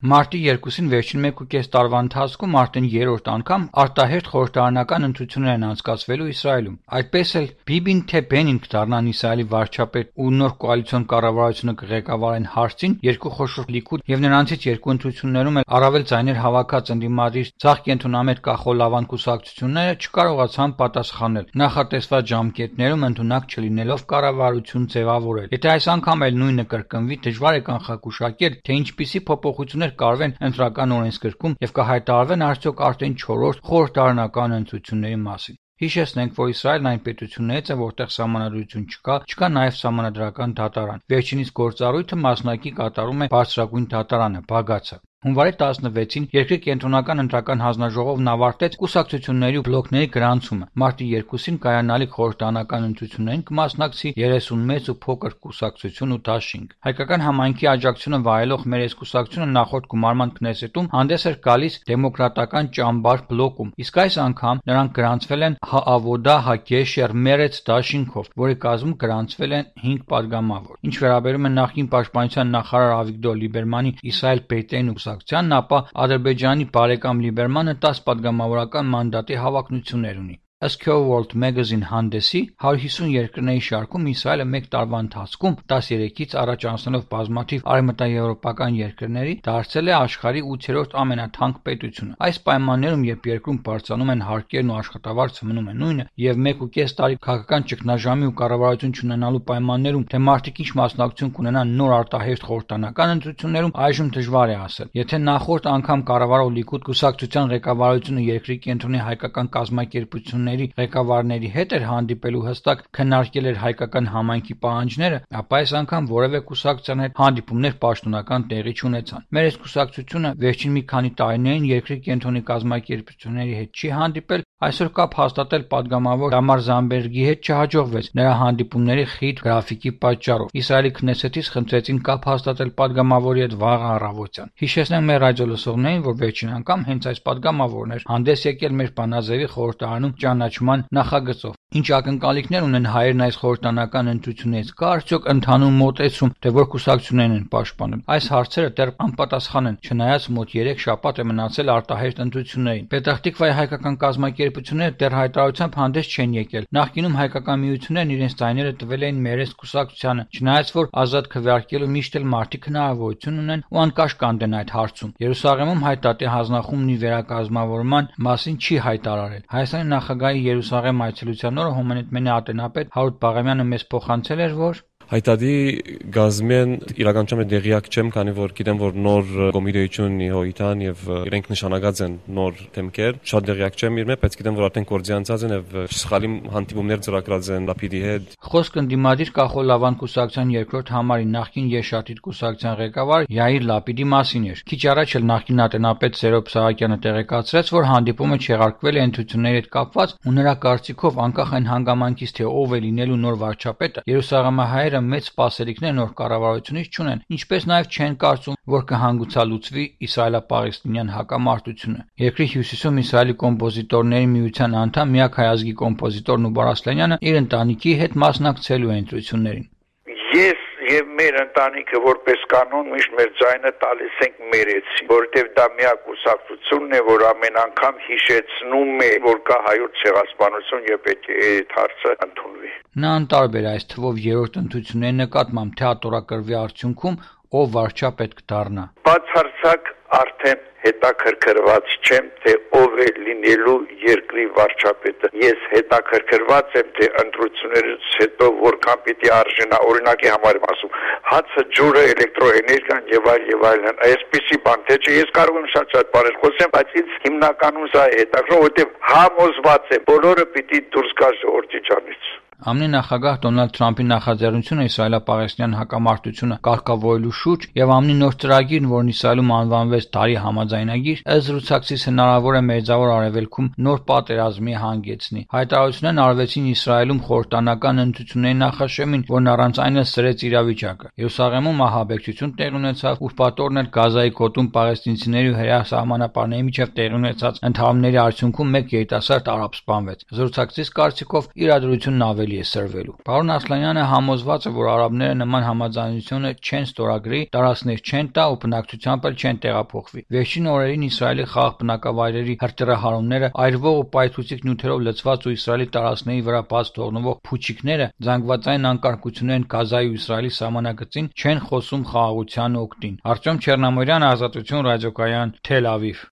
Մարտի 2-ին վերջին 1.5 տարվա ընթացքում արդեն երրորդ անգամ արտահերթ խորհրդարանական ընտրություններ են անցկացվելու Իսրայելում։ Այդպես էլ Բիբին թե Բենին կդառնան Իսրայելի վարչապետ ու նոր կոալիցիոն կառավարությունը կղեկավարեն հարցին, երկու խոշոր լիքուդ եւ նրանցից երկու ընտրություններում էլ առավել ձայներ հավաքած ընդդիմադիր ցախ կենտրոնամետ կախոլավան կուսակցությունները չկարողացան պատասխանել նախատեսված ժամկետներում ընդունակ չլինելով կառավարություն ձևավորել։ Եթե այս անգամ էլ նույնը կրկնվի, դժվար է կանխագուշակել, թե ինչպիսի փոփոխություններ կարվեն ընտրական օրենսգրքում եւ կհայտարարվեն արդյոք արդեն 4-րդ խորհրդարանական ընտրությունների մասին։ Հիշեցնենք, որ Իսրայելն այն պետություններից է, որտեղ սահմանադրություն չկա նաև սահմանադրական դատարան։ Վերջինիս գործառույթը մասնակի կատարում է բարձրագույն դատարանը, Բագացը։ Հունվարի 16-ին երկրի կենտրոնական ընտրական հանձնաժողովն ավարտեց կուսակցությունների ու բլոկների գրանցումը։ Մարտի 2-ին կայանալիք խորհրդարանական ընտրություններին կմասնակցի 30 մեծ ու փոքր կուսակցություն ու դաշինք։ Հայկական համայնքի աջակցությունը վայելող Մերես կուսակցությունը նախորդ գումարման քնեսետում հանդես էր գալիս դեմոկրատական ճամբար բլոկում, իսկ այս անգամ նրանք գրանցվել են Հաավոդա Հագեշեր Մերեց դաշինքով, որի կազմում գրանցվել են 5 падգամավոր։ Ինչ վերաբերում է նախկին պաշտպանության նախարար Ավիգդոր Լիբերմանի Իսրայել Բեյտեին ապա Ադրբեջանի բարեկամ Լիբերմանը 10 падգամավորական մանդատի հավակնություններ ունի։ Ըստ World Magazine հանդեսի 150 երկրների շարքում Իսրայելը մեկ տարվա ընթացքում 13-ից առաջ անցնելով բազմաթիվ արևմտաեվրոպական երկրների դարձել է աշխարհի 8-րդ ամենաթանկ պետությունը։ Այս պայմաններում, երբ երկրում բարձրանում են հարկերն ու աշխատավարձը մնում է նույնը, եւ 1.5 տարի քաղաքական ճգնաժամի ու կառավարություն չունենալու պայմաններում, թե մարդիկ ինչ մասնակցություն կունենան նոր արտահերթ խորհրդարանական ընտրություններում, այժմ դժվար է ասել։ Եթե նախորդ անգամ կառավարող Լիկուդ կուսակցության ղեկավարությունը երկրի կենտրոնի հայկական կազմակերպությունների ղեկավարների հետ էր հանդիպելու հստակ քննարկել էր հայկական համայնքի պահանջները, ապա այս անգամ որևէ կուսակցության հետ հանդիպումներ պաշտոնական տեղի չունեցան։ Մեր այս կուսակցությունը վերջին մի քանի տարիներին երկրի կենտրոնի կազմակերպությունների հետ չի հանդիպել, այսօր կապ հաստատել падգամավոր Դամար Զամբերգի հետ չհաջողվեց նրա հանդիպումների խիտ գրաֆիկի պատճառով։ Իսրայելի քնեսետից խնդրեցին կապ հաստատել падգամավորի հետ վաղ առավոտյան։ Հիշեցնենք մեր ռադիոլսողներին, որ վերջին անգամ հենց այս падգամավորն էր հանդես եկել մեր բանաձևի խորհրդարանում ճանաչման նախագծով։ Ինչ ակնկալիքներ ունեն հայերն այս խորհրդարանական ընտրություններից, կա արդյոք ընդհանուր մոտեցում, թե որ կուսակցություններն են պաշտպանել։ Այս հարցերը դեռ անպատասխան են, չնայած մոտ 3 շաբաթ է մնացել արտահերթ ընտրություններին։ Պետախտիկվայի հայկական կազմակերպությունները դեռ հայտարարությամբ հանդես չեն եկել։ Նախկինում հայկական միություններն իրենց ձայները տվել էին Մերես կուսակցությանը, չնայած որ ազատ քվեարկելու միշտ էլ մարդիկ հնարավորություն ունեն ու անկաշկանդ են այդ հարցում։ Երուսաղեմում հայտարարի հանձնախումբի վերակազմավորման մասին չի հայտարարել։ Հայաստանի նախագահի Երուսաղեմ այցելության օրը Հոմանետ ատենապետ Հարութ Բաղամյանը մեզ փոխանցել էր, որ Հայտարարի գազմեն իրականությամբ դեղյակ չեմ, քանի որ գիտեմ, որ նոր կոմիտեություն ունի հոյտան եւ իրենք նշանակած են նոր թեմքեր, շատ դեղյակ չեմ իրմե, բայց գիտեմ, որ արդեն կորձյանցած են եւ սխալի հանդիպումներ ծրագրած են Լապիդի հետ։ Խոսքը ընդդիմադիր Կախոլավան կուսակցության երկրորդ համարի նախկին Եշաթիթ կուսակցության ղեկավար Յայիր Լապիդի մասին էր։ Քիչ առաջ էլ նախկին ատենապետ Սերոբ Սահակյանը տեղեկացրեց, որ հանդիպումը չեղարկվել է ընտրությունների հետ կապված ու նրա կարծիքով անկախ այն հանգամանքից, թե ով է լինելու նոր վարչապետը, Երուսաղեմահայերը մեծ սպասելիքներ նոր կառավարությունից չունեն, ինչպես նաև չեն կարծում, որ կհանգուցալուծվի իսրայելա-պաղեստինյան հակամարտությունը։ Երկրի հյուսիսում Իսրայելի կոմպոզիտորների միության անդամ միակ հայազգի կոմպոզիտոր Նուբար Ասլանյանը իր ընտանիքի հետ մասնակցելու է ընտրություններին։ Ես եւ մեր ընտանիքը որպես կանոն միշտ մեր ձայնը տալիս ենք Մերեցի, որովհետեւ դա միակ կուսակցությունն է, որ ամեն անգամ հիշեցնում է, որ կա հայոց ցեղասպանություն եւ պետք է այդ հարցը ընդունվի։ Նա անտարբեր այս թվով երրորդ ընտրությունների նկատմամբ թեատրակրվի արդյունքում ով վարչապետ կդառնա։ Բացարձակ արդեն հետաքրքրված չեմ, թե ով է լինելու երկրի վարչապետը։ Ես հետաքրքրված եմ, թե ընտրություններից հետո որքան պիտի արժենա, օրինակի համար եմ ասում, հացը, ջուրը, էլեկտրոէներգիան եւ այլն, այսպիսի բան, թե չէ, ես կարող եմ շատ բաներ խոսեմ, բայց ինձ հիմնականում սա է հետաքրքրում, որովհետեւ համոզված եմ, բոլորը պիտի դուրս գա ժողովրդի ջանից։ ԱՄՆ նախագահ Դոնալդ Թրամփի նախաձեռնությունը իսրայելա-պաղեստինյան հակամարտությունը կարգավորելու շուրջ եւ ԱՄՆ նոր ծրագիրն, որն Իսրայելում անվանվեց Դարի համաձայնագիր, ըստ զրուցակցից հնարավոր է Մերձավոր Արևելքում նոր պատերազմի հանգեցնի։ Հայտարարություններն արվեցին Իսրայելում խորհրդարանական ընտրությունների նախաշեմին, որն առանց այն էլ սրեց իրավիճակը։ Երուսաղեմում ահաբեկչություն տեղի ունեցավ, ուրբաթօրն էլ Գազայի գոտում պաղեստինցիների ու հրեա սահմանապահների միջև տեղի ունեցած ընդհարումների արդյունքում մեկ երիտասարդ արաբ սպանվեց։ Զրուցակցից կարծիքով իրադրությունն ավելի կարելի է սրվելու։ Պարոն Ասլանյանը համոզված է, որ արաբները նման համաձայնությունը չեն ստորագրի, տարածքներ չեն տա ու բնակչությամբ էլ չեն տեղափոխվի։ Վերջին օրերին Իսրայելի խաղաղ բնակավայրերի հրթիռահարումները, այրվող ու պայթուցիկ նյութերով լցված ու Իսրայելի տարածքների վրա բաց թողնվող փուչիկները, զանգվածային անկարգություններն Գազայի ու Իսրայելի սահմանագծին չեն խոսում խաղաղության օգտին։ Արտյոմ Չեռնամորյան, Ազատություն ռադիոկայան, Թել Ավիվ։